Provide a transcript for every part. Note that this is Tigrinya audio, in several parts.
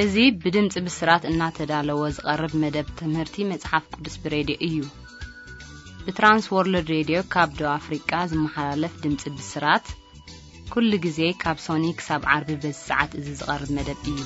እዚ ብድምፂ ብስራት እናተዳለወ ዝቐርብ መደብ ትምህርቲ መጽሓፍ ቅዱስ ብሬድዮ እዩ። ብትራንስ ወርልድ ሬድዮ ካብ ደቡብ ኣፍሪቃ ዝመሓላለፍ ድምፂ ብስራት፣ ኩሉ ግዜ ካብ ሶኒ ክሳብ ዓርቢ በዚ ሰዓት እዚ ዝቐርብ መደብ እዩ።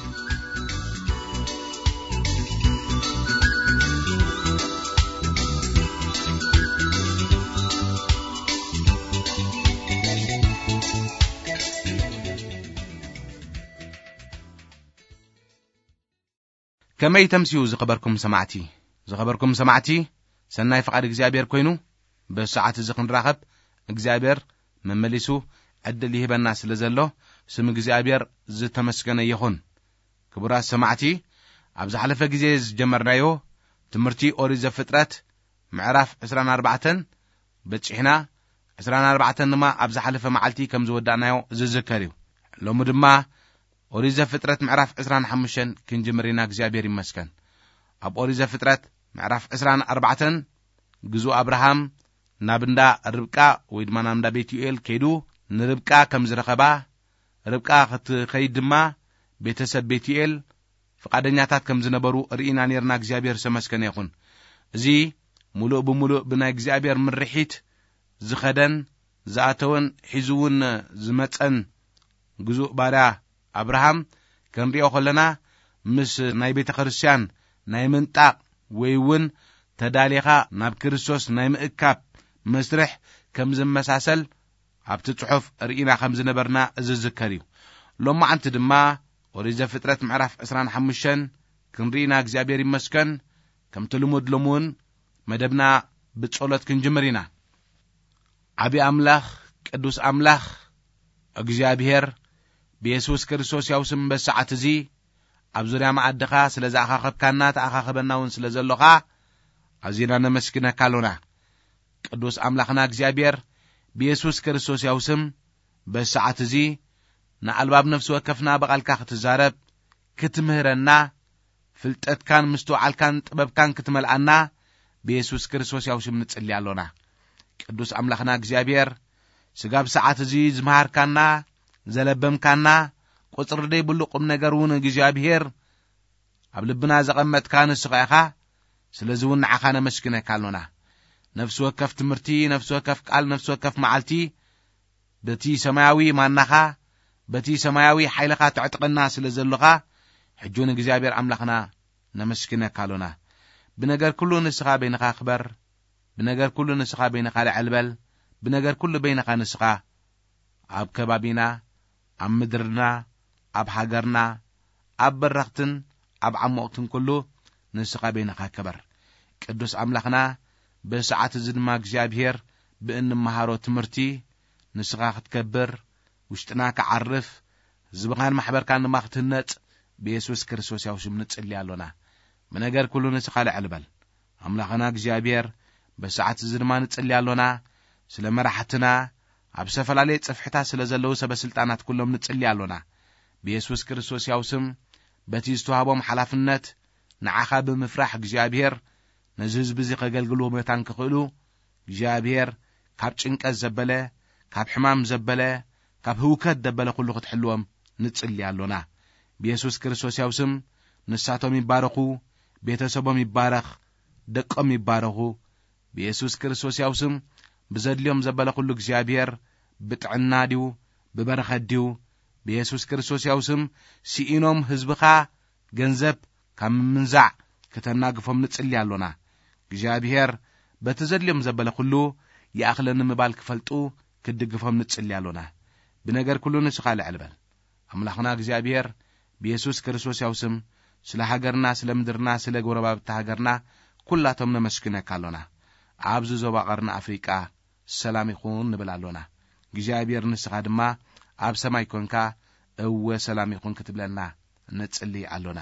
ከመይ ተምስዩ ዝኸበርኩም ሰማዕቲ? ዝኸበርኩም ሰማዕቲ፣ ሰናይ ፍቓድ እግዚኣብሔር ኮይኑ፣ በዚ ሰዓት እዚ ክንራኸብ እግዚኣብሔር መመሊሱ ዕድል ይህበና ስለ ዘሎ፣ ስም እግዚኣብሔር ዝተመስገነ ይኹን። ክቡራት ሰማዕቲ፣ ኣብ ዝሓለፈ ግዜ ዝጀመርናዮ ትምህርቲ ኦሪት ዘፍጥረት ምዕራፍ ዕስራን ኣርባዕተን በጺሕና፣ ዕስራን ኣርባዕተን ድማ ኣብ ዝሓለፈ መዓልቲ ከም ዝወዳእናዮ ዝዝከር እዩ። ሎሚ ድማ ኦሪት ዘፍጥረት ምዕራፍ ዕስራን ሓሙሽተን ክንጅምር ኢና። እግዚኣብሔር ይመስገን። ኣብ ኦሪት ዘፍጥረት ምዕራፍ ዕስራን ኣርባዕተን ግዙእ ኣብርሃም ናብ እንዳ ርብቃ ወይ ድማ ናብ እንዳ ቤትዩኤል ከይዱ ንርብቃ ከም ዝረኸባ፣ ርብቃ ክትኸይድ ድማ ቤተሰብ ቤትዩኤል ፍቓደኛታት ከም ዝነበሩ ርኢና ነርና። እግዚኣብሔር ዝተመስገነ ይኹን። እዚ ሙሉእ ብሙሉእ ብናይ እግዚኣብሔር ምርሒት ዝኸደን ዝኣተወን ሒዙ እውን ዝመጸን ግዙእ ባርያ ኣብርሃም ክንሪኦ ከለና፣ ምስ ናይ ቤተ ክርስቲያን ናይ ምንጣቕ ወይ እውን ተዳሊኻ ናብ ክርስቶስ ናይ ምእካብ መስርሕ ከም ዝመሳሰል ኣብቲ ጽሑፍ ርኢና ከም ዝነበርና ዝዝከር እዩ። ሎማዓንቲ ድማ ኦሪት ዘፍጥረት ምዕራፍ ዕስራን ሓሙሽተን ክንርኢና እግዚኣብሔር ይመስገን። ከምቲ ልሙድ ሎሚ እውን መደብና ብጸሎት ክንጅምር ኢና። ዓቢ ኣምላኽ፣ ቅዱስ ኣምላኽ እግዚኣብሔር፣ ብየሱስ ክርስቶስ ያው ስም በሰዓት እዚ ኣብ ዙርያ መኣድኻ ስለ ዝኣኻኸብካና፣ ተኣኻኸበና እውን ስለ ዘሎኻ ኣዚና ነመስግነካ ኣሎና። ቅዱስ ኣምላኽና እግዚኣብሔር፣ ብየሱስ ክርስቶስ ያው ስም በሰዓት እዚ ንኣልባብ ነፍሲ ወከፍና ብቓልካ ክትዛረብ፣ ክትምህረና፣ ፍልጠትካን ምስትውዓልካን ጥበብካን ክትመልኣና ብየሱስ ክርስቶስ ያው ስም ንጽሊ ኣሎና። ቅዱስ ኣምላኽና እግዚኣብሔር፣ ስጋብ ሰዓት እዚ ዝመሃርካና፣ ዘለበምካና፣ ቁጽሪ ደይብሉ ቁም ነገር እውን እግዚኣብሔር ኣብ ልብና ዘቐመጥካ ንስኻ ኢኻ። ስለዚ እውን ንዓኻ ነመስግነካ ኣሎና። ነፍሲ ወከፍ ትምህርቲ፣ ነፍሲ ወከፍ ቃል፣ ነፍሲ ወከፍ መዓልቲ በቲ ሰማያዊ ማናኻ፣ በቲ ሰማያዊ ሓይልኻ ትዕጥቐና ስለ ዘሎኻ፣ ሕጂ እውን እግዚኣብሔር ኣምላኽና ነመስግነካ ኣሎና። ብነገር ኩሉ ንስኻ በይንኻ ክበር፣ ብነገር ኩሉ ንስኻ በይንኻ ልዕል በል፣ ብነገር ኩሉ በይንኻ ንስኻ ኣብ ከባቢና፣ ኣብ ምድርና፣ ኣብ ሃገርና፣ ኣብ በረኽትን ኣብ ዓሞቕትን ኩሉ ንስኻ በይንኻ ክበር። ቅዱስ ኣምላኽና፣ በዚ ሰዓት እዚ ድማ እግዚኣብሔር ብእንመሃሮ ትምህርቲ ንስኻ ክትከብር፣ ውሽጥና ክዓርፍ፣ ህዝብኻን ማሕበርካን ድማ ክትህነጽ ብየሱስ ክርስቶስ ያው ስም ንጽሊ ኣሎና። ብነገር ኩሉ ንስኻ ልዕል በል። ኣምላኽና እግዚኣብሔር፣ በዚ ሰዓት እዚ ድማ ንጽሊ ኣሎና። ስለ መራሕትና፣ ኣብ ዝተፈላለየ ጽፍሕታት ስለ ዘለዉ ሰበ ስልጣናት ኩሎም ንጽሊ ኣሎና። ብየሱስ ክርስቶስ ያው ስም፣ በቲ ዝተዋህቦም ሓላፍነት ንዓኻ ብምፍራሕ እግዚኣብሔር፣ ነዚ ህዝቢ እዚ ከገልግልዎ መታን ክኽእሉ፣ እግዚኣብሔር፣ ካብ ጭንቀት ዘበለ፣ ካብ ሕማም ዘበለ፣ ካብ ህውከት ዘበለ ኩሉ ክትሕልዎም ንጽሊ ኣሎና። ብየሱስ ክርስቶስ ያው ስም፣ ንሳቶም ይባረኹ፣ ቤተሰቦም ይባረኽ፣ ደቆም ይባረኹ። ብየሱስ ክርስቶስ ያው ስም፣ ብዘድልዮም ዘበለ ኩሉ እግዚኣብሔር ብጥዕና ድዩ፣ ብበረኸት ድዩ? ብየሱስ ክርስቶስ ያው ስም፣ ስኢኖም ህዝብኻ ገንዘብ ካብ ምምንዛዕ ክተናግፎም ንጽሊ ኣሎና። እግዚኣብሔር በቲ ዘድልዮም ዘበለ ኩሉ ይኣኽለኒ ምባል ክፈልጡ ክድግፎም ንጽሊ ኣሎና። ብነገር ኩሉ ንስኻ ልዕል በል። ኣምላኽና እግዚኣብሔር፣ ብየሱስ ክርስቶስ ያው ስም፣ ስለ ሃገርና፣ ስለ ምድርና፣ ስለ ጎረባብቲ ሃገርና፣ ኩላቶም ነመስግነካ ኣሎና። ኣብዚ ዞባ ቀርኒ ኣፍሪቃ ሰላም ይኹን ንብል ኣሎና። እግዚኣብሔር ንስኻ ድማ ኣብ ሰማይ ኮንካ፣ እወ ሰላም ይኹን ክትብለና ንጽሊ ኣሎና።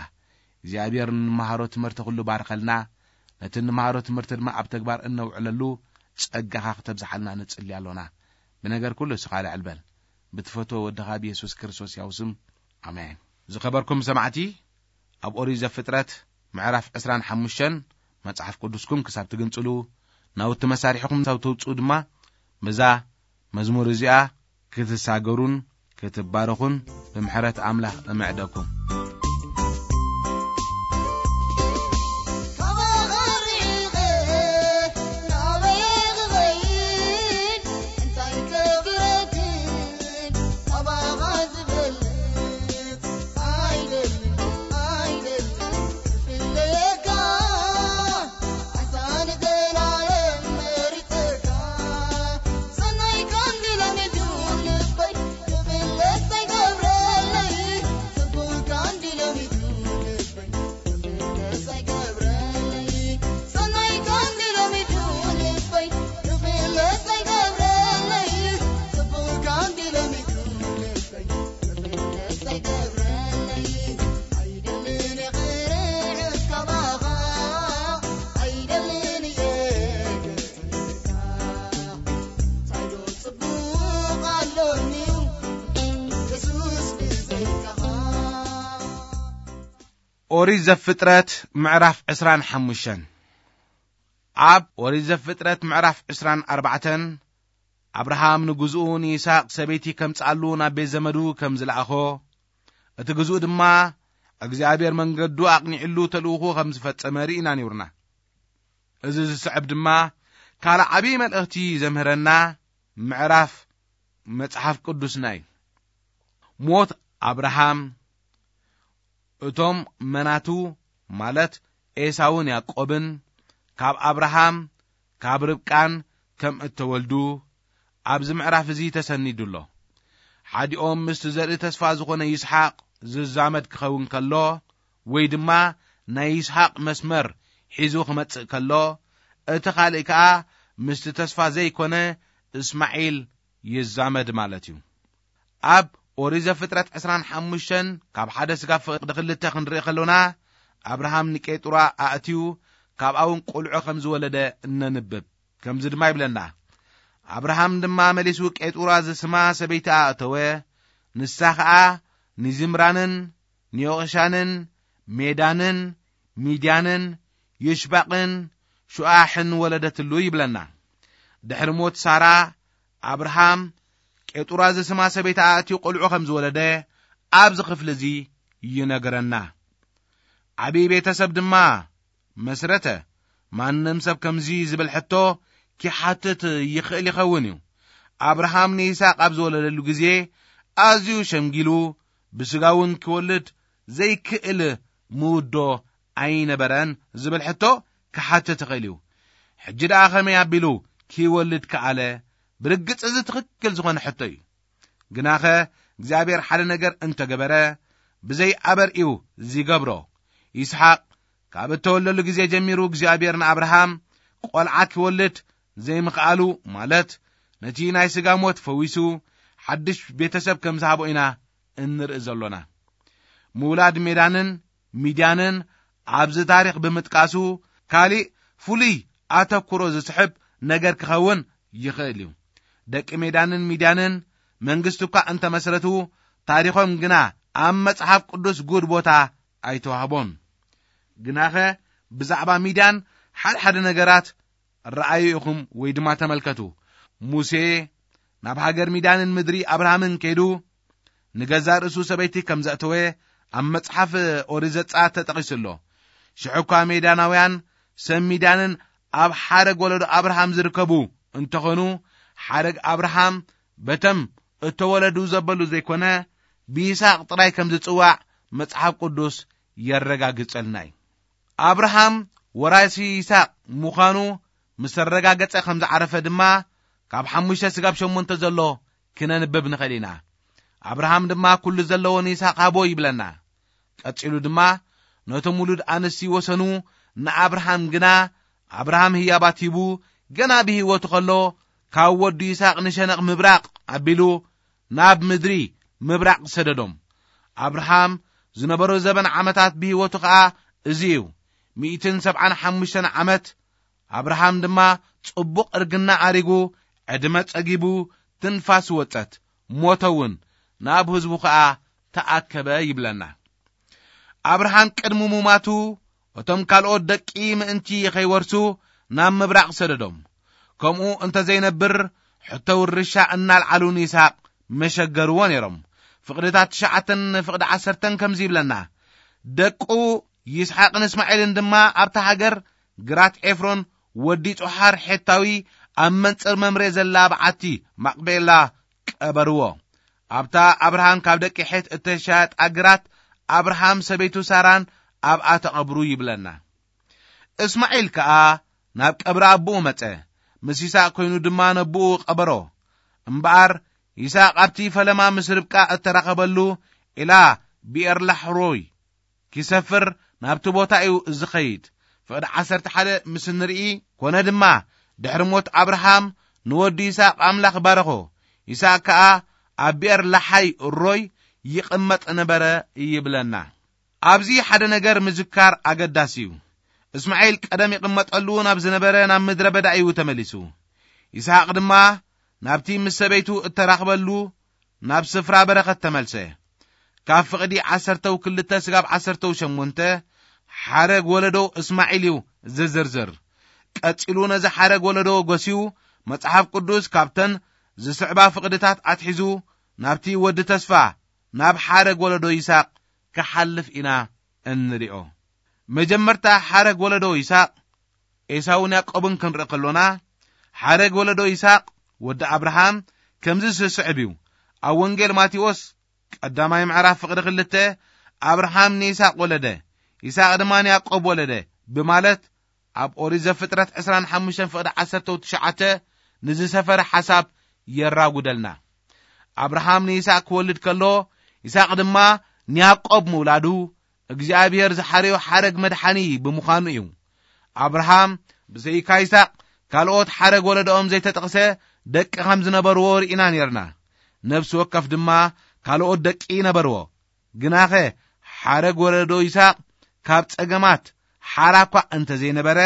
እግዚኣብሔር፣ ንመሃሮ ትምህርቲ ኩሉ ባርኸልና፣ ነቲ ንመሃሮ ትምህርቲ ድማ ኣብ ተግባር እነውዕለሉ ጸጋኻ ክተብዝሓልና ንጽሊ ኣሎና። ብነገር ኩሉ ንስኻ ልዕል በል። ብትፈትዎ ወድኻ ብየሱስ ክርስቶስ ያው ስም፣ ኣሜን። ዝኸበርኩም ሰማዕቲ፣ ኣብ ኦሪት ዘፍጥረት ምዕራፍ ዕስራን ሓሙሽተን መጽሓፍ ቅዱስኩም ክሳብ ትግንጽሉ፣ ናውቲ መሳርሒኹም ክሳብ ተውጽኡ ድማ፣ በዛ መዝሙር እዚኣ ክትሳገሩን ክትባረኹን ብምሕረት ኣምላኽ እምዕደኩም። ኦሪት ዘፍጥረት ምዕራፍ ዕስራን ሓሙሽተን። ኣብ ኦሪት ዘፍጥረት ምዕራፍ ዕስራን ኣርባዕተን፣ ኣብርሃም ንግዝኡ ንይስሐቅ ሰበይቲ ከምጽኣሉ ናብ ቤት ዘመዱ ከም ዝለኣኾ፣ እቲ ግዝኡ ድማ እግዚኣብሔር መንገዱ ኣቕኒዕሉ ተልእኹ ከም ዝፈጸመ ርኢና ነይሩና። እዚ ዝስዕብ ድማ ካልእ ዓብዪ መልእኽቲ ዘምህረና ምዕራፍ መጽሓፍ ቅዱስና እዩ። ሞት ኣብርሃም፣ እቶም መናቱ ማለት ኤሳውን ያዕቆብን ካብ ኣብርሃም ካብ ርብቃን ከም እተወልዱ ኣብዚ ምዕራፍ እዚ ተሰኒዱ ኣሎ። ሓዲኦም ምስቲ ዘርኢ ተስፋ ዝኾነ ይስሓቅ ዝዛመድ ክኸውን ከሎ፣ ወይ ድማ ናይ ይስሓቅ መስመር ሒዙ ክመጽእ ከሎ፣ እቲ ካልእ ከኣ ምስቲ ተስፋ ዘይኮነ እስማዒል ይዛመድ ማለት እዩ። ኣብ ኦሪት ዘፍጥረት ዕስራን ሓሙሽተን ካብ ሓደ ስጋ ፍቕዲ ክልተ ክንርኢ ከሎና፣ ኣብርሃም ንቄጡራ ኣእትዩ ካብኣ እውን ቆልዑ ከም ዝወለደ እነንብብ። ከምዚ ድማ ይብለና፣ ኣብርሃም ድማ መሊሱ ቄጡራ ዝስማ ሰበይቲ ኣእተወ። ንሳ ኸኣ ንዚምራንን ንዮቕሻንን ሜዳንን ሚድያንን ይሽባቕን ሹኣሕን ወለደትሉ ይብለና። ድሕሪ ሞት ሳራ፣ ኣብርሃም ቄጡራ ዝስማ ሰበይቲ ኣእትዩ ቆልዑ ከም ዝወለደ ኣብዚ ክፍሊ እዚ ይነግረና። ዓብዪ ቤተሰብ ድማ መስረተ። ማንም ሰብ ከምዚ ዝብል ሕቶ ኪሓትት ይኽእል ይኸውን እዩ። ኣብርሃም ንይስሓቅ ኣብ ዝወለደሉ ግዜ ኣዝዩ ሸምጊሉ፣ ብስጋ እውን ክወልድ ዘይክእል ምውዶ ኣይነበረን ዝብል ሕቶ ክሓትት ይኽእል እዩ። ሕጂ ደኣ ከመይ ኣቢሉ ክወልድ ከኣለ? ብርግጽ እዚ ትኽክል ዝኾነ ሕቶ እዩ። ግናኸ እግዚኣብሔር ሓደ ነገር እንተገበረ፣ ብዘይ ኣበር'ዩ ዚገብሮ። ይስሓቅ ካብ እተወለሉ ግዜ ጀሚሩ እግዚኣብሔር ንኣብርሃም ቆልዓ ኪወልድ ዘይምኽኣሉ፣ ማለት ነቲ ናይ ስጋ ሞት ፈዊሱ ሓድሽ ቤተሰብ ከም ዝሃቦ ኢና እንርኢ ዘሎና። ምውላድ ሜዳንን ሚድያንን ኣብዚ ታሪኽ ብምጥቃሱ፣ ካሊእ ፍሉይ ኣተኩሮ ዝስሕብ ነገር ክኸውን ይኽእል እዩ። ደቂ ሜዳንን ሚድያንን መንግስቲ እኳ እንተመስረቱ፣ ታሪኾም ግና ኣብ መጽሓፍ ቅዱስ ጉድ ቦታ ኣይተዋህቦን። ግናኸ ብዛዕባ ሚድያን ሓድሓደ ነገራት ረኣዩ ኢኹም ወይ ድማ ተመልከቱ። ሙሴ ናብ ሃገር ሚድያንን ምድሪ ኣብርሃምን ከይዱ፣ ንገዛእ ርእሱ ሰበይቲ ከም ዘእተወ ኣብ መጽሓፍ ኦሪት ዘጸኣት ተጠቒሱ ኣሎ። ሽዑ እኳ ሜድያናውያን ሰብ ሚድያንን ኣብ ሓረግ ወለዶ ኣብርሃም ዝርከቡ እንተኾኑ፣ ሓረግ ኣብርሃም በቶም እተወለዱ ዘበሉ ዘይኮነ፣ ብይስሓቅ ጥራይ ከም ዝጽዋዕ መጽሓፍ ቅዱስ የረጋግጸልና እዩ። ኣብርሃም ወራሲ ይስሓቅ ምዃኑ ምስ ኣረጋገጸ ከም ዝዓረፈ ድማ፣ ካብ ሓሙሽተ ስጋብ ሸሞንተ ዘሎ ክነንብብ ንኽእል ኢና። ኣብርሃም ድማ ኩሉ ዘለዎ ንይስሓቅ ሃቦ ይብለና። ቀጺሉ ድማ፣ ነቶም ውሉድ ኣንስቲ ወሰኑ፣ ንኣብርሃም ግና ኣብርሃም ህያባት ሂቡ፣ ገና ብህይወቱ ኸሎ፣ ካብ ወዱ ይስሓቅ ንሸነቕ ምብራቕ ኣቢሉ ናብ ምድሪ ምብራቕ ሰደዶም። ኣብርሃም ዝነበሮ ዘበን ዓመታት ብህይወቱ ኸኣ እዚ እዩ፣ ሚእትን ሰብዓን ሓሙሽተን ዓመት። ኣብርሃም ድማ ጽቡቕ እርግና ኣሪጉ፣ ዕድመ ጸጊቡ፣ ትንፋስ ወጸት፣ ሞተ እውን፣ ናብ ህዝቡ ኸኣ ተኣከበ ይብለና። ኣብርሃም ቅድሚ ሙማቱ፣ እቶም ካልኦት ደቂ ምእንቲ ኸይወርሱ ናብ ምብራቕ ሰደዶም። ከምኡ እንተ ዘይነብር፣ ሕቶ ውርሻ እናልዓሉ ንይስሓቅ መሸገርዎ ነይሮም። ፍቕድታት ትሽዓተን ፍቕዲ ዓሰርተን ከምዚ ይብለና፣ ደቁ ይስሓቅን እስማኤልን ድማ ኣብታ ሃገር ግራት ኤፍሮን ወዲ ጾሓር ሔታዊ ኣብ መንጽር መምሬ ዘላ በዓቲ ማቅቤላ ቀበርዎ። ኣብታ ኣብርሃም ካብ ደቂ ሔት እተሻየጣ ግራት ኣብርሃም ሰበይቱ ሳራን ኣብኣ ተቐብሩ ይብለና። እስማዒል ከኣ ናብ ቀብሪ ኣቦኡ መጸ፣ ምስ ይስሓቅ ኮይኑ ድማ ነቦኡ ቀበሮ። እምበኣር ይስሓቅ ኣብቲ ፈለማ ምስ ርብቃ እተራኸበሉ ኢላ ብኤር ላሕሮይ ኪሰፍር ናብቲ ቦታ እዩ ዝኸይድ። ፍቕዲ ዓሰርተ ሓደ ምስ እንርኢ፣ ኮነ ድማ ድሕሪ ሞት ኣብርሃም ንወዱ ይስሓቅ ኣምላኽ ባረኾ። ይስሓቅ ከኣ ኣብ ብኤር ላሓይ ሮይ ይቕመጥ ነበረ ይብለና። ኣብዚ ሓደ ነገር ምዝካር ኣገዳሲ እዩ። እስማዒል ቀደም ይቕመጠሉ ናብ ዝነበረ ናብ ምድረ በዳ እዩ ተመሊሱ። ይስሓቅ ድማ ናብቲ ምስ ሰበይቱ እተራኽበሉ ናብ ስፍራ በረኸት ተመልሰ። ካብ ፍቕዲ ዓሰርተው ክልተ ስጋብ ዓሰርተው ሸሞንተ ሓረግ ወለዶ እስማዒል እዩ ዝዝርዝር። ቀጺሉ ነዚ ሓረግ ወለዶ ጎስዩ፣ መጽሓፍ ቅዱስ ካብተን ዝስዕባ ፍቕድታት ኣትሒዙ ናብቲ ወዲ ተስፋ፣ ናብ ሓረግ ወለዶ ይስሐቅ ክሓልፍ ኢና እንሪኦ። መጀመርታ ሓረግ ወለዶ ይስሐቅ ኤሳውን ያዕቆብን ክንርኢ ከሎና፣ ሓረግ ወለዶ ይስሐቅ ወዲ ኣብርሃም ከምዚ ዝስዕብ እዩ። ኣብ ወንጌል ማቴዎስ ቀዳማይ ምዕራፍ ፍቕዲ ክልተ፣ ኣብርሃም ንይስሐቅ ወለደ፣ ይስሐቅ ድማ ንያዕቆብ ወለደ ብማለት ኣብ ኦሪት ዘፍጥረት ዕስራን ሓሙሽተን ፍቕዲ ዓሰርተው ትሽዓተ ንዝሰፈረ ሓሳብ የራጉደልና። ኣብርሃም ንይስሐቅ ክወልድ ከሎ፣ ይስሐቅ ድማ ንያዕቆብ ምውላዱ እግዚኣብሔር ዝሓረዮ ሓረግ መድሓኒ ብምዃኑ እዩ። ኣብርሃም ብዘይካ ይስሐቅ ካልኦት ሓረግ ወለዶኦም ዘይተጠቕሰ ደቂ ከም ዝነበርዎ ርኢና ነርና። ነፍሲ ወከፍ ድማ ካልኦት ደቂ ነበርዎ። ግናኸ ሓረግ ወለዶ ይስሐቅ ካብ ጸገማት ሓራ እኳ እንተ ዘይነበረ፣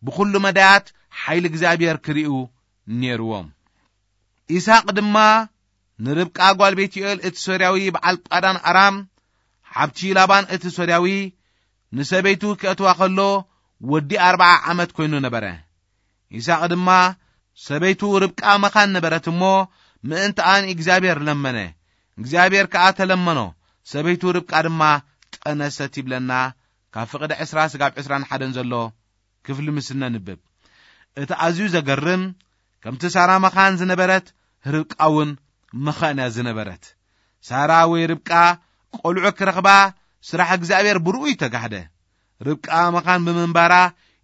ብኹሉ መዳያት ሓይሊ እግዚኣብሔር ክርእዩ ነርዎም። ይስሐቅ ድማ ንርብቃ ጓል ቤትኤል እቲ ሶርያዊ በዓል ጳዳን ኣራም፣ ሓብቲ ላባን እቲ ሶርያዊ፣ ንሰበይቱ ክእትዋ ከሎ ወዲ ኣርብዓ ዓመት ኮይኑ ነበረ። ይስሐቅ ድማ ሰበይቱ ርብቃ መኻን ነበረት እሞ፣ ምእንትኣ ንእግዚኣብሔር ለመነ። እግዚኣብሔር ከኣ ተለመኖ፣ ሰበይቱ ርብቃ ድማ ጠነሰት ይብለና። ካብ ፍቕዲ ዕስራ ስጋብ ዕስራን ሓደን ዘሎ ክፍሊ ምስ እነንብብ፣ እቲ ኣዝዩ ዘገርም፣ ከምቲ ሳራ መኻን ዝነበረት፣ ርብቃ እውን መኻን እያ ዝነበረት። ሳራ ወይ ርብቃ ቆልዑ ክረኽባ ስራሕ እግዚኣብሔር ብርኡይ ተጋህደ። ርብቃ መኻን ብምንባራ፣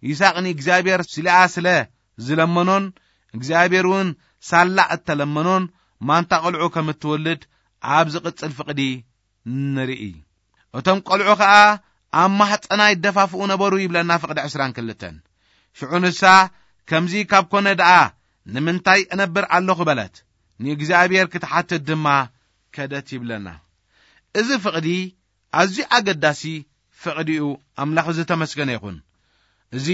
ይስሐቅ ንእግዚኣብሔር ስሊኣ ስለ ዝለመኖን እግዚኣብሔር እውን ሳላ እተለመኖን ማንታ ቆልዑ ከም እትወልድ ኣብ ዝቕጽል ፍቕዲ ንርኢ። እቶም ቆልዑ ኸኣ ኣብ ማሕጸና ይደፋፍኡ ነበሩ ይብለና ፍቕዲ ዕስራን ክልተን። ሽዑ ንሳ፣ ከምዚ ካብ ኮነ ደኣ ንምንታይ እነብር ኣለኹ በለት። ንእግዚኣብሔር ክትሓትት ድማ ከደት ይብለና። እዚ ፍቕዲ ኣዝዩ ኣገዳሲ ፍቕዲ እዩ። ኣምላኽ ዝተመስገነ ይኹን። እዚ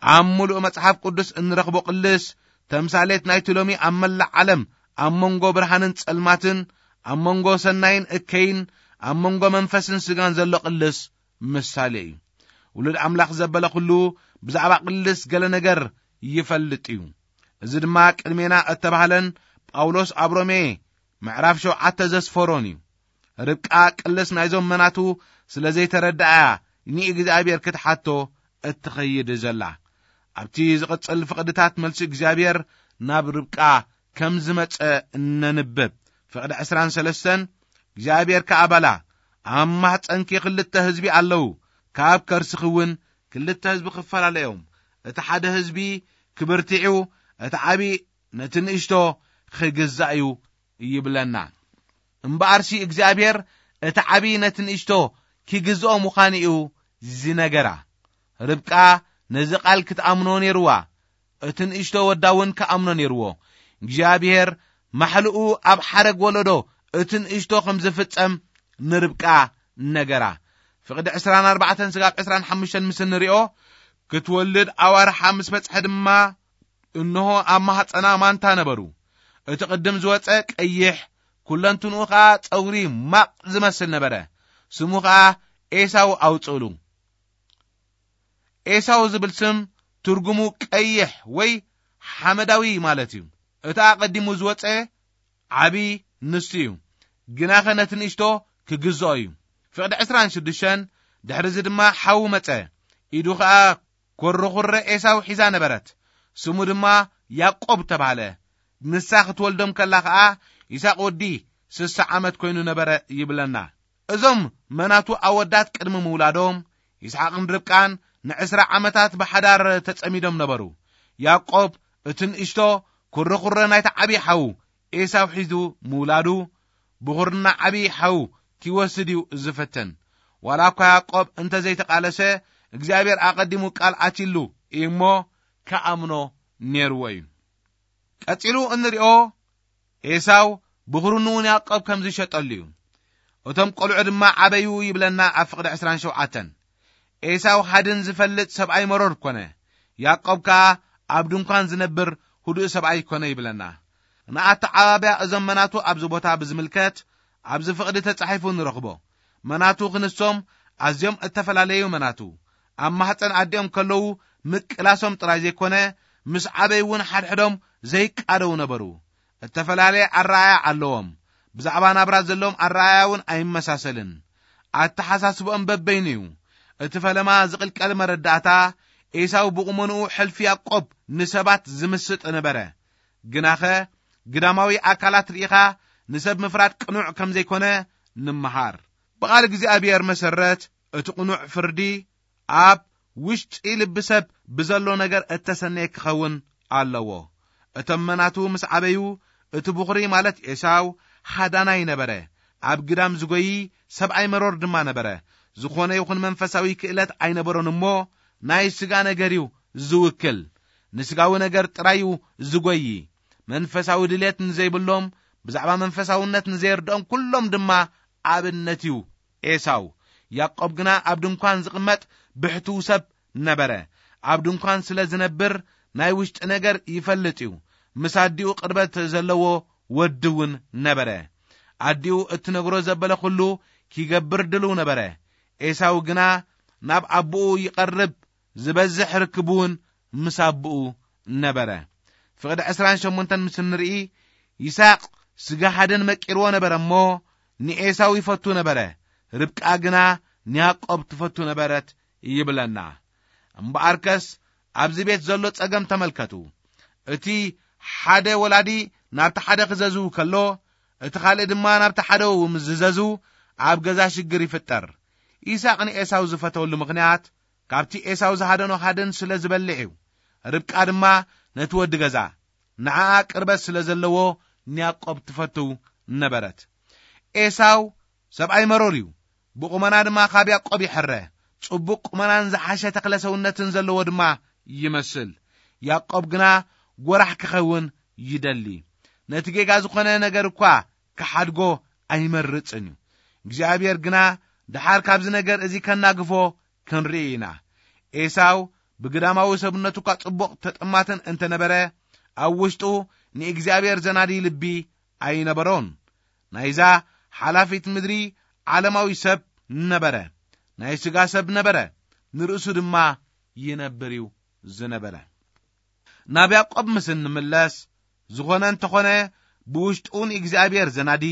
ኣብ ምሉእ መጽሓፍ ቅዱስ እንረኽቦ ቅልስ ተምሳሌት ናይቲ ሎሚ ኣብ መላእ ዓለም ኣብ መንጎ ብርሃንን ጸልማትን፣ ኣብ መንጎ ሰናይን እከይን፣ ኣብ መንጎ መንፈስን ስጋን ዘሎ ቅልስ ምሳሌ እዩ። ውሉድ ኣምላኽ ዘበለ ኩሉ ብዛዕባ ቅልስ ገለ ነገር ይፈልጥ እዩ። እዚ ድማ ቅድሜና እተባህለን ጳውሎስ ኣብ ሮሜ ምዕራፍ ሸውዓተ ዘስፈሮን እዩ። ርብቃ ቅልስ ናይዞም መናቱ ስለ ዘይተረድኣያ ንእግዚኣብሔር ክትሓቶ እትኸይድ ዘላ። ኣብቲ ዝቕጽል ፍቕድታት መልሲ እግዚኣብሔር ናብ ርብቃ ከም ዝመጸ እነንብብ። ፍቕዲ ዕስራን ሰለስተን እግዚኣብሔር ከኣ በላ፣ ኣብ ማሕፀንኪ ክልተ ህዝቢ ኣለዉ፣ ካብ ከርስኺ እውን ክልተ ህዝቢ ክፈላለዮም፣ እቲ ሓደ ህዝቢ ክብርትዑ፣ እቲ ዓቢ ነቲ ንእሽቶ ክግዛእ እዩ ይብለና። እምበኣርሲ እግዚኣብሔር እቲ ዓቢ ነቲ ንእሽቶ ክግዝኦ ምዃኑ እዩ ዝነገራ። ርብቃ ነዚ ቃል ክትኣምኖ ነይርዋ። እቲ ንእሽቶ ወዳ እውን ክኣምኖ ነይርዎ። እግዚኣብሔር ማሕልኡ ኣብ ሓረግ ወለዶ እቲ ንእሽቶ ከም ዝፍጸም ንርብቃ ነገራ። ፍቕዲ ዕስራን ኣርባዕተን ስጋብ ዕስራን ሓሙሽተን ምስ እንሪኦ፣ ክትወልድ ኣዋርሓ ምስ በጽሐ ድማ፣ እንሆ ኣብ ማህፀና ማንታ ነበሩ። እቲ ቅድም ዝወፀ ቀይሕ፣ ኩለንትንኡ ኸዓ ፀጉሪ ማቕ ዝመስል ነበረ። ስሙ ኸዓ ኤሳው ኣውፅእሉ። ኤሳው ዝብል ስም ትርጉሙ ቀይሕ ወይ ሓመዳዊ ማለት እዩ። እቲ ኣቐዲሙ ዝወፀ ዓቢ ንሱ እዩ። ግናኸ ነቲ ንእሽቶ ክግዝኦ እዩ። ፍቕዲ ዕስራን ሽዱሽተን፣ ድሕሪ እዚ ድማ ሓዉ መጸ። ኢዱ ኸኣ ኮርኹረ ኤሳው ሒዛ ነበረት። ስሙ ድማ ያዕቆብ ተባህለ። ንሳ ክትወልዶም ከላ ኸኣ ይስሐቅ ወዲ ስሳ ዓመት ኮይኑ ነበረ ይብለና። እዞም መናቱ ኣወዳት ቅድሚ ምውላዶም፣ ይስሐቅን ርብቃን ንዕስራ ዓመታት ብሓዳር ተጸሚዶም ነበሩ። ያዕቆብ እቲ ንእሽቶ ኩርኹረ ናይቲ ዓብዪ ሓዉ ኤሳው ሒዙ ምውላዱ፣ ብኹርና ዓብዪ ሓዉ ኪወስድ እዩ ዝፍትን። ዋላ እኳ ያዕቆብ እንተ ዘይተቓለሰ፣ እግዚኣብሔር ኣቐዲሙ ቃል ኣትይሉ እዩ እሞ፣ ክኣምኖ ነይርዎ እዩ። ቀጺሉ እንሪኦ፣ ኤሳው ብኹርንኡ ንያዕቆብ ከም ዝሸጠሉ እዩ። እቶም ቈልዑ ድማ ዓበዩ ይብለና ኣብ ፍቕዲ ዕስራን ሸውዓተን። ኤሳው ሃድን ዝፈልጥ ሰብኣይ መሮር ኮነ። ያዕቆብ ከኣ ኣብ ድንኳን ዝነብር ህዱእ ሰብኣይ ኮነ ይብለና። ንኣተዓባብያ እዞም መናቱ ኣብዚ ቦታ ብዝምልከት ኣብዚ ፍቕዲ ተጻሒፉ ንረኽቦ። መናቱ ክንሶም ኣዝዮም እተፈላለዩ መናቱ። ኣብ ማህፀን ኣዲኦም ከለዉ ምቅላሶም ጥራይ ዘይኮነ፣ ምስ ዓበይ እውን ሓድሕዶም ዘይቃደው ነበሩ። እተፈላለየ ኣረኣያ ኣለዎም። ብዛዕባ ናብራ ዘለዎም ኣረኣያ እውን ኣይመሳሰልን። ኣተሓሳስብኦም በበይኑ እዩ። እቲ ፈለማ ዝቕልቀል መረዳእታ፣ ኤሳው ብቑመንኡ ሕልፊ ያዕቆብ ንሰባት ዝምስጥ ነበረ። ግናኸ ግዳማዊ ኣካላት ርኢኻ ንሰብ ምፍራድ ቅኑዕ ከም ዘይኮነ ንምሃር። ብቓል እግዚኣብሔር መሰረት እቲ ቅኑዕ ፍርዲ ኣብ ውሽጢ ልቢ ሰብ ብዘሎ ነገር እተሰነየ ክኸውን ኣለዎ። እቶም መናቱ ምስ ዓበዩ፣ እቲ ብኹሪ ማለት ኤሳው ሃዳናይ ነበረ። ኣብ ግዳም ዝጎዪ ሰብኣይ መሮር ድማ ነበረ። ዝኾነ ይኹን መንፈሳዊ ክእለት ኣይነበሮን እሞ፣ ናይ ስጋ ነገር እዩ ዝውክል። ንስጋዊ ነገር ጥራይ እዩ ዝጎዪ። መንፈሳዊ ድሌት ንዘይብሎም፣ ብዛዕባ መንፈሳውነት ንዘየርድኦም ኩሎም ድማ ኣብነት እዩ ኤሳው። ያዕቆብ ግና ኣብ ድንኳን ዝቕመጥ ብሕትው ሰብ ነበረ። ኣብ ድንኳን ስለ ዝነብር ናይ ውሽጢ ነገር ይፈልጥ እዩ። ምስ ኣዲኡ ቅርበት ዘለዎ ወዲ እውን ነበረ። ኣዲኡ እትነግሮ ዘበለ ኩሉ ኪገብር ድልው ነበረ። ኤሳው ግና ናብ ኣቦኡ ይቐርብ፣ ዝበዝሕ ርክብ እውን ምስ ኣቦኡ ነበረ። ፍቕዲ ዕስራን ሸሞንተን ምስ እንርኢ፣ ይስሐቅ ስጋ ሓደን መቂርዎ ነበረ እሞ፣ ንኤሳው ይፈቱ ነበረ፣ ርብቃ ግና ንያዕቆብ ትፈቱ ነበረት ይብለና። እምበኣርከስ ኣብዚ ቤት ዘሎ ጸገም ተመልከቱ። እቲ ሓደ ወላዲ ናብቲ ሓደ ክዘዝው ከሎ፣ እቲ ካልእ ድማ ናብቲ ሓደ ምስ ዝዘዝው፣ ኣብ ገዛ ሽግር ይፍጠር። ይስሐቅ ንኤሳው ዝፈተወሉ ምኽንያት፣ ካብቲ ኤሳው ዝሃደኖ ሃደን ስለ ዝበልዕ እዩ። ርብቃ ድማ ነቲ ወዲ ገዛ፣ ንዓኣ ቅርበት ስለ ዘለዎ ንያዕቆብ ትፈትው ነበረት። ኤሳው ሰብኣይ መሮር እዩ። ብቁመና ድማ ካብ ያዕቆብ ይሕረ። ጽቡቕ ቁመናን ዝሓሸ ተኽለ ሰውነትን ዘለዎ ድማ ይመስል። ያዕቆብ ግና ጎራሕ ክኸውን ይደሊ። ነቲ ጌጋ ዝኾነ ነገር እኳ ክሓድጎ ኣይመርጽን እዩ። እግዚኣብሔር ግና ደሓር ካብዚ ነገር እዚ ከናግፎ ክንርኢ ኢና። ኤሳው ብግዳማዊ ሰብነቱ እኳ ጽቡቕ ተጠማትን እንተነበረ፣ ኣብ ውሽጡ ንእግዚኣብሔር ዘናዲ ልቢ ኣይነበሮን። ናይዛ ሓላፊት ምድሪ ዓለማዊ ሰብ ነበረ። ናይ ስጋ ሰብ ነበረ። ንርእሱ ድማ ይነብር እዩ ዝነበረ። ናብ ያዕቆብ ምስ እንምለስ፣ ዝኾነ እንተኾነ ብውሽጡ ንእግዚኣብሔር ዘናዲ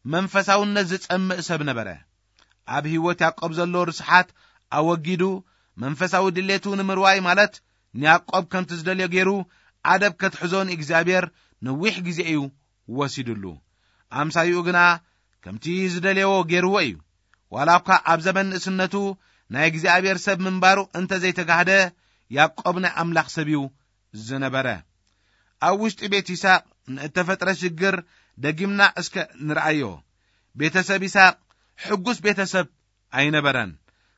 መንፈሳውነት ዝጸምእ ሰብ ነበረ። ኣብ ህይወት ያዕቆብ ዘሎ ርስሓት ኣወጊዱ፣ መንፈሳዊ ድሌቱ ንምርዋይ ማለት ንያዕቆብ ከምቲ ዝደልዮ ገይሩ ኣደብ ከትሕዞ ንእግዚኣብሔር ነዊሕ ግዜ እዩ ወሲድሉ። ኣምሳይኡ ግና ከምቲ ዝደልየዎ ገይርዎ እዩ። ዋላ እኳ ኣብ ዘመን ንእስነቱ ናይ እግዚኣብሔር ሰብ ምንባሩ እንተ ዘይተጋህደ፣ ያዕቆብ ናይ ኣምላኽ ሰብ እዩ ዝነበረ። ኣብ ውሽጢ ቤት ይስሐቅ ንእተፈጥረ ሽግር ደጊምና እስከ ንርኣዮ። ቤተሰብ ይስሐቅ ሕጉስ ቤተሰብ ኣይነበረን።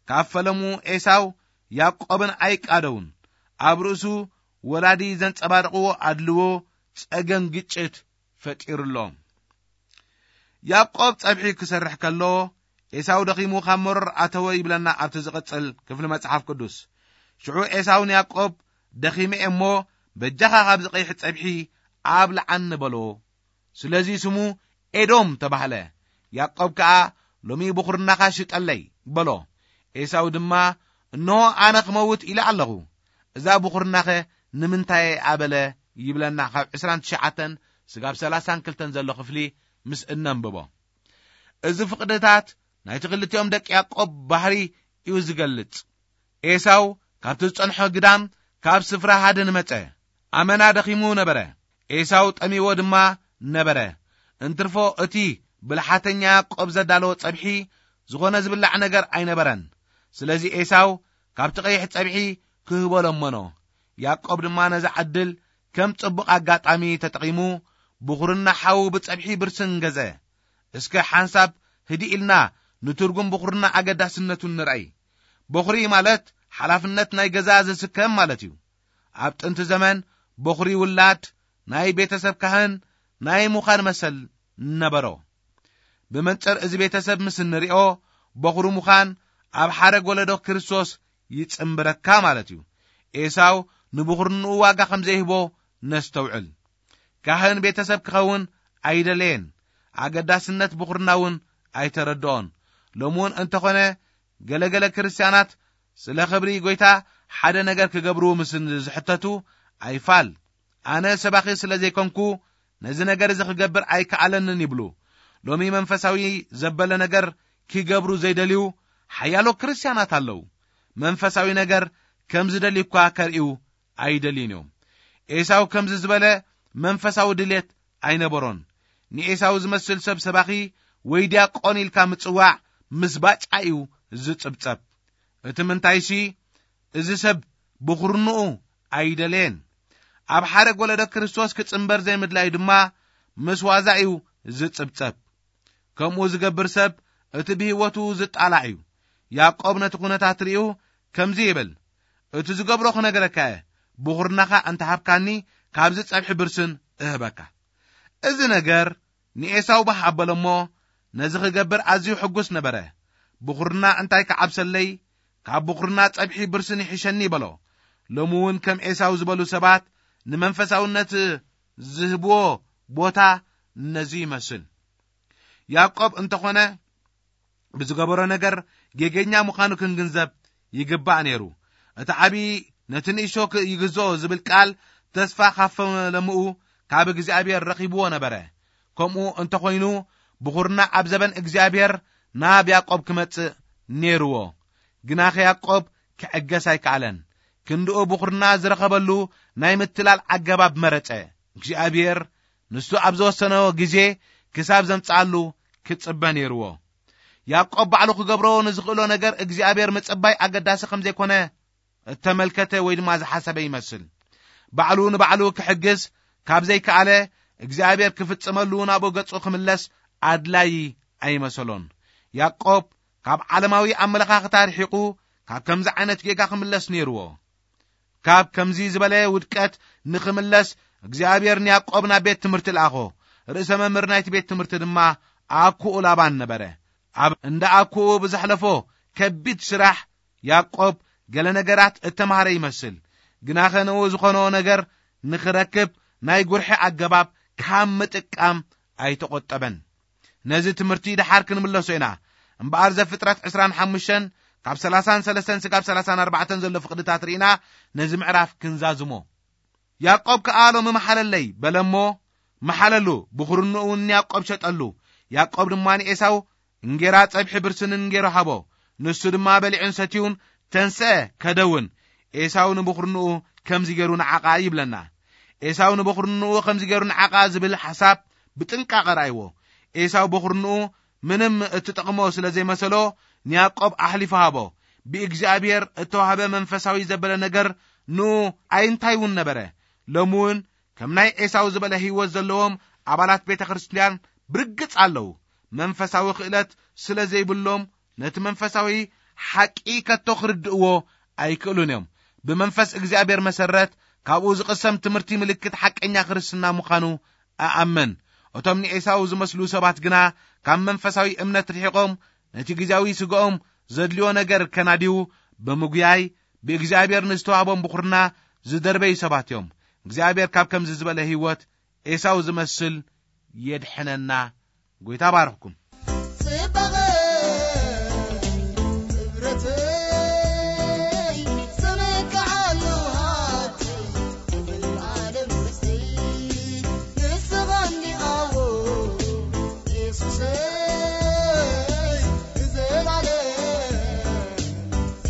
ካብ ፈለሙ ኤሳው ያዕቆብን ኣይቃደውን። ኣብ ርእሱ ወላዲ ዘንጸባርቕዎ ኣድልዎ ጸገም ግጭት ፈጢሩሎም። ያዕቆብ ጸብሒ ክሰርሕ ከሎ፣ ኤሳው ደኺሙ ካብ መሮር ኣተወ ይብለና ኣብቲ ዝቕጽል ክፍሊ መጽሓፍ ቅዱስ። ሽዑ ኤሳው ንያዕቆብ፣ "ደኺመ እየ እሞ፣ በጃኻ ካብዚ ቀይሕ ጸብሒ ኣብልዓኒ" በሎ። ስለዚ ስሙ ኤዶም ተባህለ። ያዕቆብ ከኣ፣ "ሎሚ ብኹርናኻ ሽጠለይ" በሎ። ኤሳው ድማ፣ "እንሆ ኣነ ክመውት ኢለ ኣለኹ፣ እዛ ብኹርናኸ ንምንታይ ኣበለ?" ይብለና ካብ ዕስራን ትሽዓተን ስጋብ ሰላሳን ክልተን ዘሎ ክፍሊ ምስ እነንብቦ። እዚ ፍቕድታት ናይቲ ክልቲኦም ደቂ ያዕቆብ ባህሪ እዩ ዝገልጽ። ኤሳው ካብቲ ዝጸንሖ ግዳም ካብ ስፍራ ሃድን መጸ። ኣመና ደኺሙ ነበረ። ኤሳው ጠሚዎ ድማ ነበረ። እንትርፎ እቲ ብልሓተኛ ያዕቆብ ዘዳለዎ ጸብሒ ዝኾነ ዝብላዕ ነገር ኣይነበረን። ስለዚ ኤሳው ካብቲ ቀይሕ ጸብሒ ክህቦ ለመኖ። ያዕቆብ ድማ ነዛ ዕድል ከም ጽቡቕ ኣጋጣሚ ተጠቒሙ ብኹርና ሓዉ ብጸብሒ ብርስን ገዘ። እስከ ሓንሳብ ህድእ ኢልና ንትርጉም ብኹርና ኣገዳስነቱን ንርኣይ። በኹሪ ማለት ሓላፍነት ናይ ገዛ ዝስከም ማለት እዩ። ኣብ ጥንቲ ዘመን በኹሪ ውላድ ናይ ቤተሰብ ካህን ናይ ምዃን መሰል ነበሮ። ብመንጽር እዚ ቤተሰብ ምስ እንሪኦ፣ በኹሪ ምዃን ኣብ ሓረግ ወለዶ ክርስቶስ ይጽንብረካ ማለት እዩ። ኤሳው ንብኹርንኡ ዋጋ ከም ዘይህቦ ነስተውዕል። ካህን ቤተሰብ ክኸውን ኣይደለየን። ኣገዳስነት ብኹርና እውን ኣይተረድኦን። ሎሚ እውን እንተኾነ ገለገለ ክርስትያናት ስለ ክብሪ ጎይታ ሓደ ነገር ክገብሩ ምስ ዝሕተቱ ኣይፋል፣ ኣነ ሰባኺ ስለ ዘይኮንኩ ነዚ ነገር እዚ ክገብር ኣይከኣለንን ይብሉ። ሎሚ መንፈሳዊ ዘበለ ነገር ክገብሩ ዘይደልዩ ሓያሎ ክርስትያናት ኣለዉ። መንፈሳዊ ነገር ከም ዝደልዩ እኳ ከርእዩ ኣይደልዩን እዮም። ኤሳው ከምዚ ዝበለ መንፈሳዊ ድሌት ኣይነበሮን። ንኤሳው ዝመስል ሰብ ሰባኺ ወይ ዲያቆን ኢልካ ምጽዋዕ ምስ ባጫ እዩ ዝጽብጸብ። እቲ ምንታይሲ፣ እዚ ሰብ ብኹርንኡ ኣይደለየን። ኣብ ሓረግ ወለዶ ክርስቶስ ክጽንበር ዘይምድላዩ ድማ ምስ ዋዛ እዩ ዝጽብጸብ። ከምኡ ዝገብር ሰብ እቲ ብህይወቱ ዝጣላዕ እዩ። ያዕቆብ ነቲ ኩነታት ርእዩ ከምዚ ይብል፣ "እቲ ዝገብሮ ክነግረካ እየ፣ ብኹርናኻ እንተሃብካኒ ካብዚ ጸብሒ ብርስን እህበካ።" እዚ ነገር ንኤሳው ባህ ኣበሎ እሞ ነዚ ክገብር ኣዝዩ ሕጉስ ነበረ። "ብኹርና እንታይ ክዓብሰለይ? ካብ ብኹርና ጸብሒ ብርስን ይሕሸኒ" በሎ። ሎሚ እውን ከም ኤሳው ዝበሉ ሰባት ንመንፈሳውነት ዝህብዎ ቦታ ነዚ ይመስል። ያዕቆብ እንተኾነ ብዝገበሮ ነገር ጌገኛ ምዃኑ ክንግንዘብ ይግባእ ነይሩ። እቲ ዓቢ ነቲ ንእሾ ክ-፣ ይግዝኦ ዝብል ቃል ተስፋ ካብ ፈለምኡ ካብ እግዚኣብሔር ረኺብዎ ነበረ። ከምኡ እንተኾይኑ ብኹርና ኣብ ዘበን እግዚኣብሔር ናብ ያዕቆብ ክመጽእ ነይርዎ። ግናኸ ያዕቆብ ክዕገስ ኣይከኣለን። ክንድኡ ብኹርና ዝረኸበሉ ናይ ምትላል ኣገባብ መረጸ። እግዚኣብሔር ንሱ ኣብ ዝወሰኖ ግዜ ክሳብ ዘምጽኣሉ ክጽበ ነይርዎ። ያዕቆብ ባዕሉ ክገብሮ ንዝኽእሎ ነገር እግዚኣብሔር ምጽባይ ኣገዳሲ ከም ዘይኮነ እተመልከተ ወይ ድማ ዝሓሰበ ይመስል። ባዕሉ ንባዕሉ ክሕግዝ ካብ ዘይከኣለ እግዚኣብሔር ክፍጽመሉ ናብኡ ገጹ ክምለስ ኣድላዪ ኣይመሰሎን። ያዕቆብ ካብ ዓለማዊ ኣመለኻኽታ ርሒቑ ካብ ከምዚ ዓይነት ጌጋ ክምለስ ነይርዎ። ካብ ከምዚ ዝበለ ውድቀት ንኽምለስ እግዚኣብሔር ንያዕቆብ ናብ ቤት ትምህርቲ ለኣኾ። ርእሰ መምህር ናይቲ ቤት ትምህርቲ ድማ ኣኩኡ ላባን ነበረ። ኣብ እንዳ ኣኩኡ ብዘሕለፎ ከቢድ ስራሕ ያዕቆብ ገለ ነገራት እተማህረ ይመስል። ግናኸ ንኡ ዝኾኖ ነገር ንኽረክብ ናይ ጉርሒ ኣገባብ ካብ ምጥቃም ኣይተቖጠበን። ነዚ ትምህርቲ ደሓር ክንምለሶ ኢና። እምበኣር ዘፍጥረት ዕስራን ሓሙሽተን ካብ ሰላሳን ሰለስተን ስጋብ ሰላሳን ኣርባዕተን ዘሎ ፍቕድታት ርኢና ነዚ ምዕራፍ ክንዛዝሞ። ያዕቆብ ከኣ ሎሚ መሓለለይ በለ እሞ መሓለሉ፣ ብኹርንኡ እውን ንያዕቆብ ሸጠሉ። ያዕቆብ ድማ ንኤሳው እንጌራ ጸብሒ ብርስንን ገይሩ ሃቦ። ንሱ ድማ በሊዑን ሰትዩን ተንስአ፣ ከደውን። ኤሳው ንብኹርንኡ ከምዚ ገይሩ ንዓቓ ይብለና። ኤሳው ንብኹርንኡ ከምዚ ገይሩ ንዓቓ ዝብል ሓሳብ ብጥንቃቐ ረኣይዎ። ኤሳው ብኹርንኡ ምንም እትጠቕሞ ስለ ዘይመሰሎ ንያዕቆብ ኣሕሊፉ ሃቦ። ብእግዚኣብሔር እተዋህበ መንፈሳዊ ዘበለ ነገር ንኡ ኣይንታይ እውን ነበረ። ሎሚ እውን ከም ናይ ኤሳው ዝበለ ህይወት ዘለዎም ኣባላት ቤተ ክርስቲያን ብርግጽ ኣለዉ። መንፈሳዊ ክእለት ስለ ዘይብሎም ነቲ መንፈሳዊ ሓቂ ከቶ ክርድእዎ ኣይክእሉን እዮም። ብመንፈስ እግዚኣብሔር መሰረት ካብኡ ዝቕሰም ትምህርቲ ምልክት ሓቀኛ ክርስትና ምዃኑ እኣምን። እቶም ንኤሳው ዝመስሉ ሰባት ግና ካብ መንፈሳዊ እምነት ርሒቖም ነቲ ግዜያዊ ስጋኦም ዘድልዮ ነገር ከናድዩ ብምጉያይ ብእግዚኣብሔር ንዝተዋህቦም ብኹርና ዝደርበዩ ሰባት እዮም። እግዚኣብሔር ካብ ከምዚ ዝበለ ህይወት ኤሳው ዝመስል የድሕነና። ጎይታ ባርኽኩም። ጽባቐ ክብረተይ ዝምክዓሉ ሃብተይ፣ ዘለዓለም ርስትይ ንስኻ እንዲኻ የሱሰይ፣ ንዘላለም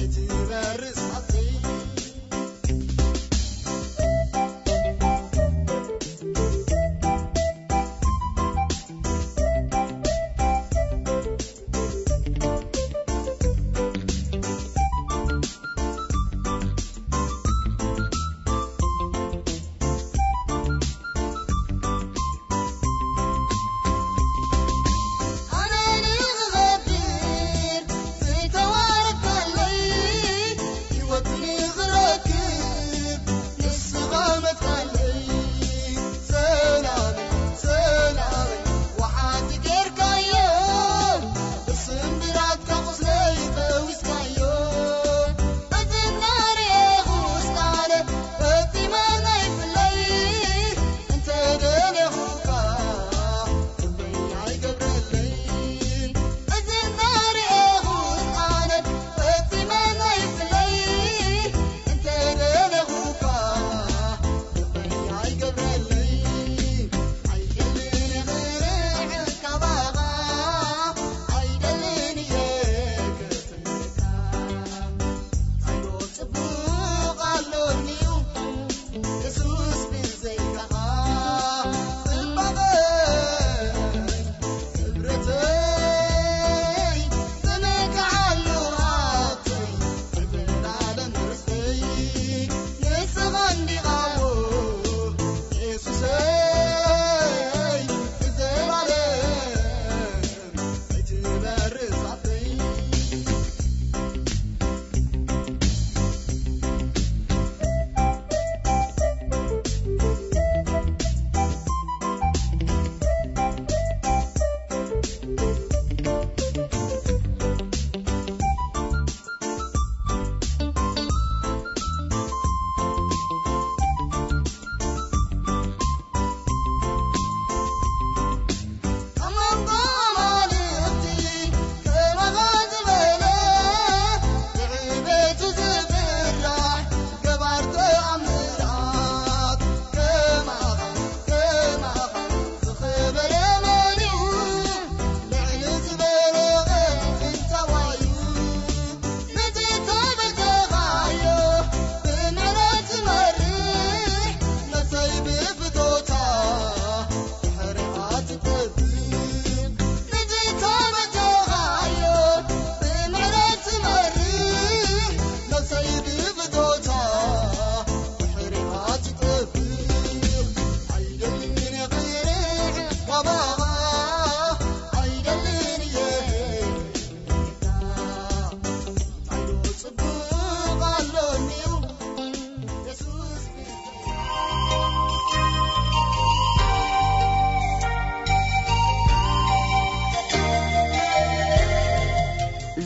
እትበርስ ሃብተይ።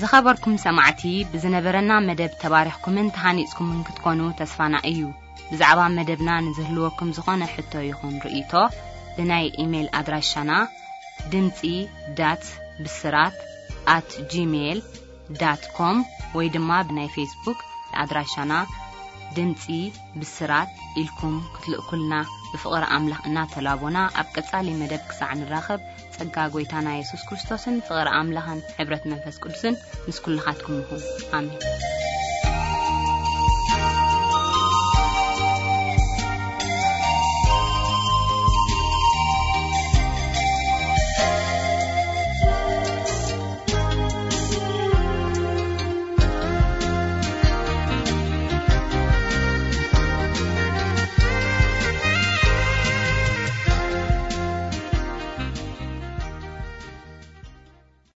ዝኸበርኩም ሰማዕቲ፣ ብዝነበረና መደብ ተባሪኽኩምን ተሃኒጽኩምን ክትኮኑ ተስፋና እዩ። ብዛዕባ መደብና ንዝህልወኩም ዝኾነ ሕቶ ይኹን ርእይቶ፣ ብናይ ኢሜይል ኣድራሻና ድምጺ ዳት ብስራት ኣት ጂሜይል ዳት ኮም ወይ ድማ ብናይ ፌስቡክ ኣድራሻና ድምጺ ብስራት ኢልኩም ክትልእኩልና ብፍቕሪ ኣምላኽ እናተላቦና፣ ኣብ ቀጻሊ መደብ ክሳዕ ንራኸብ፣ ጸጋ ጐይታና የሱስ ክርስቶስን ፍቕሪ ኣምላኽን ሕብረት መንፈስ ቅዱስን ምስ ኩልኻትኩም ይኹን። ኣሜን።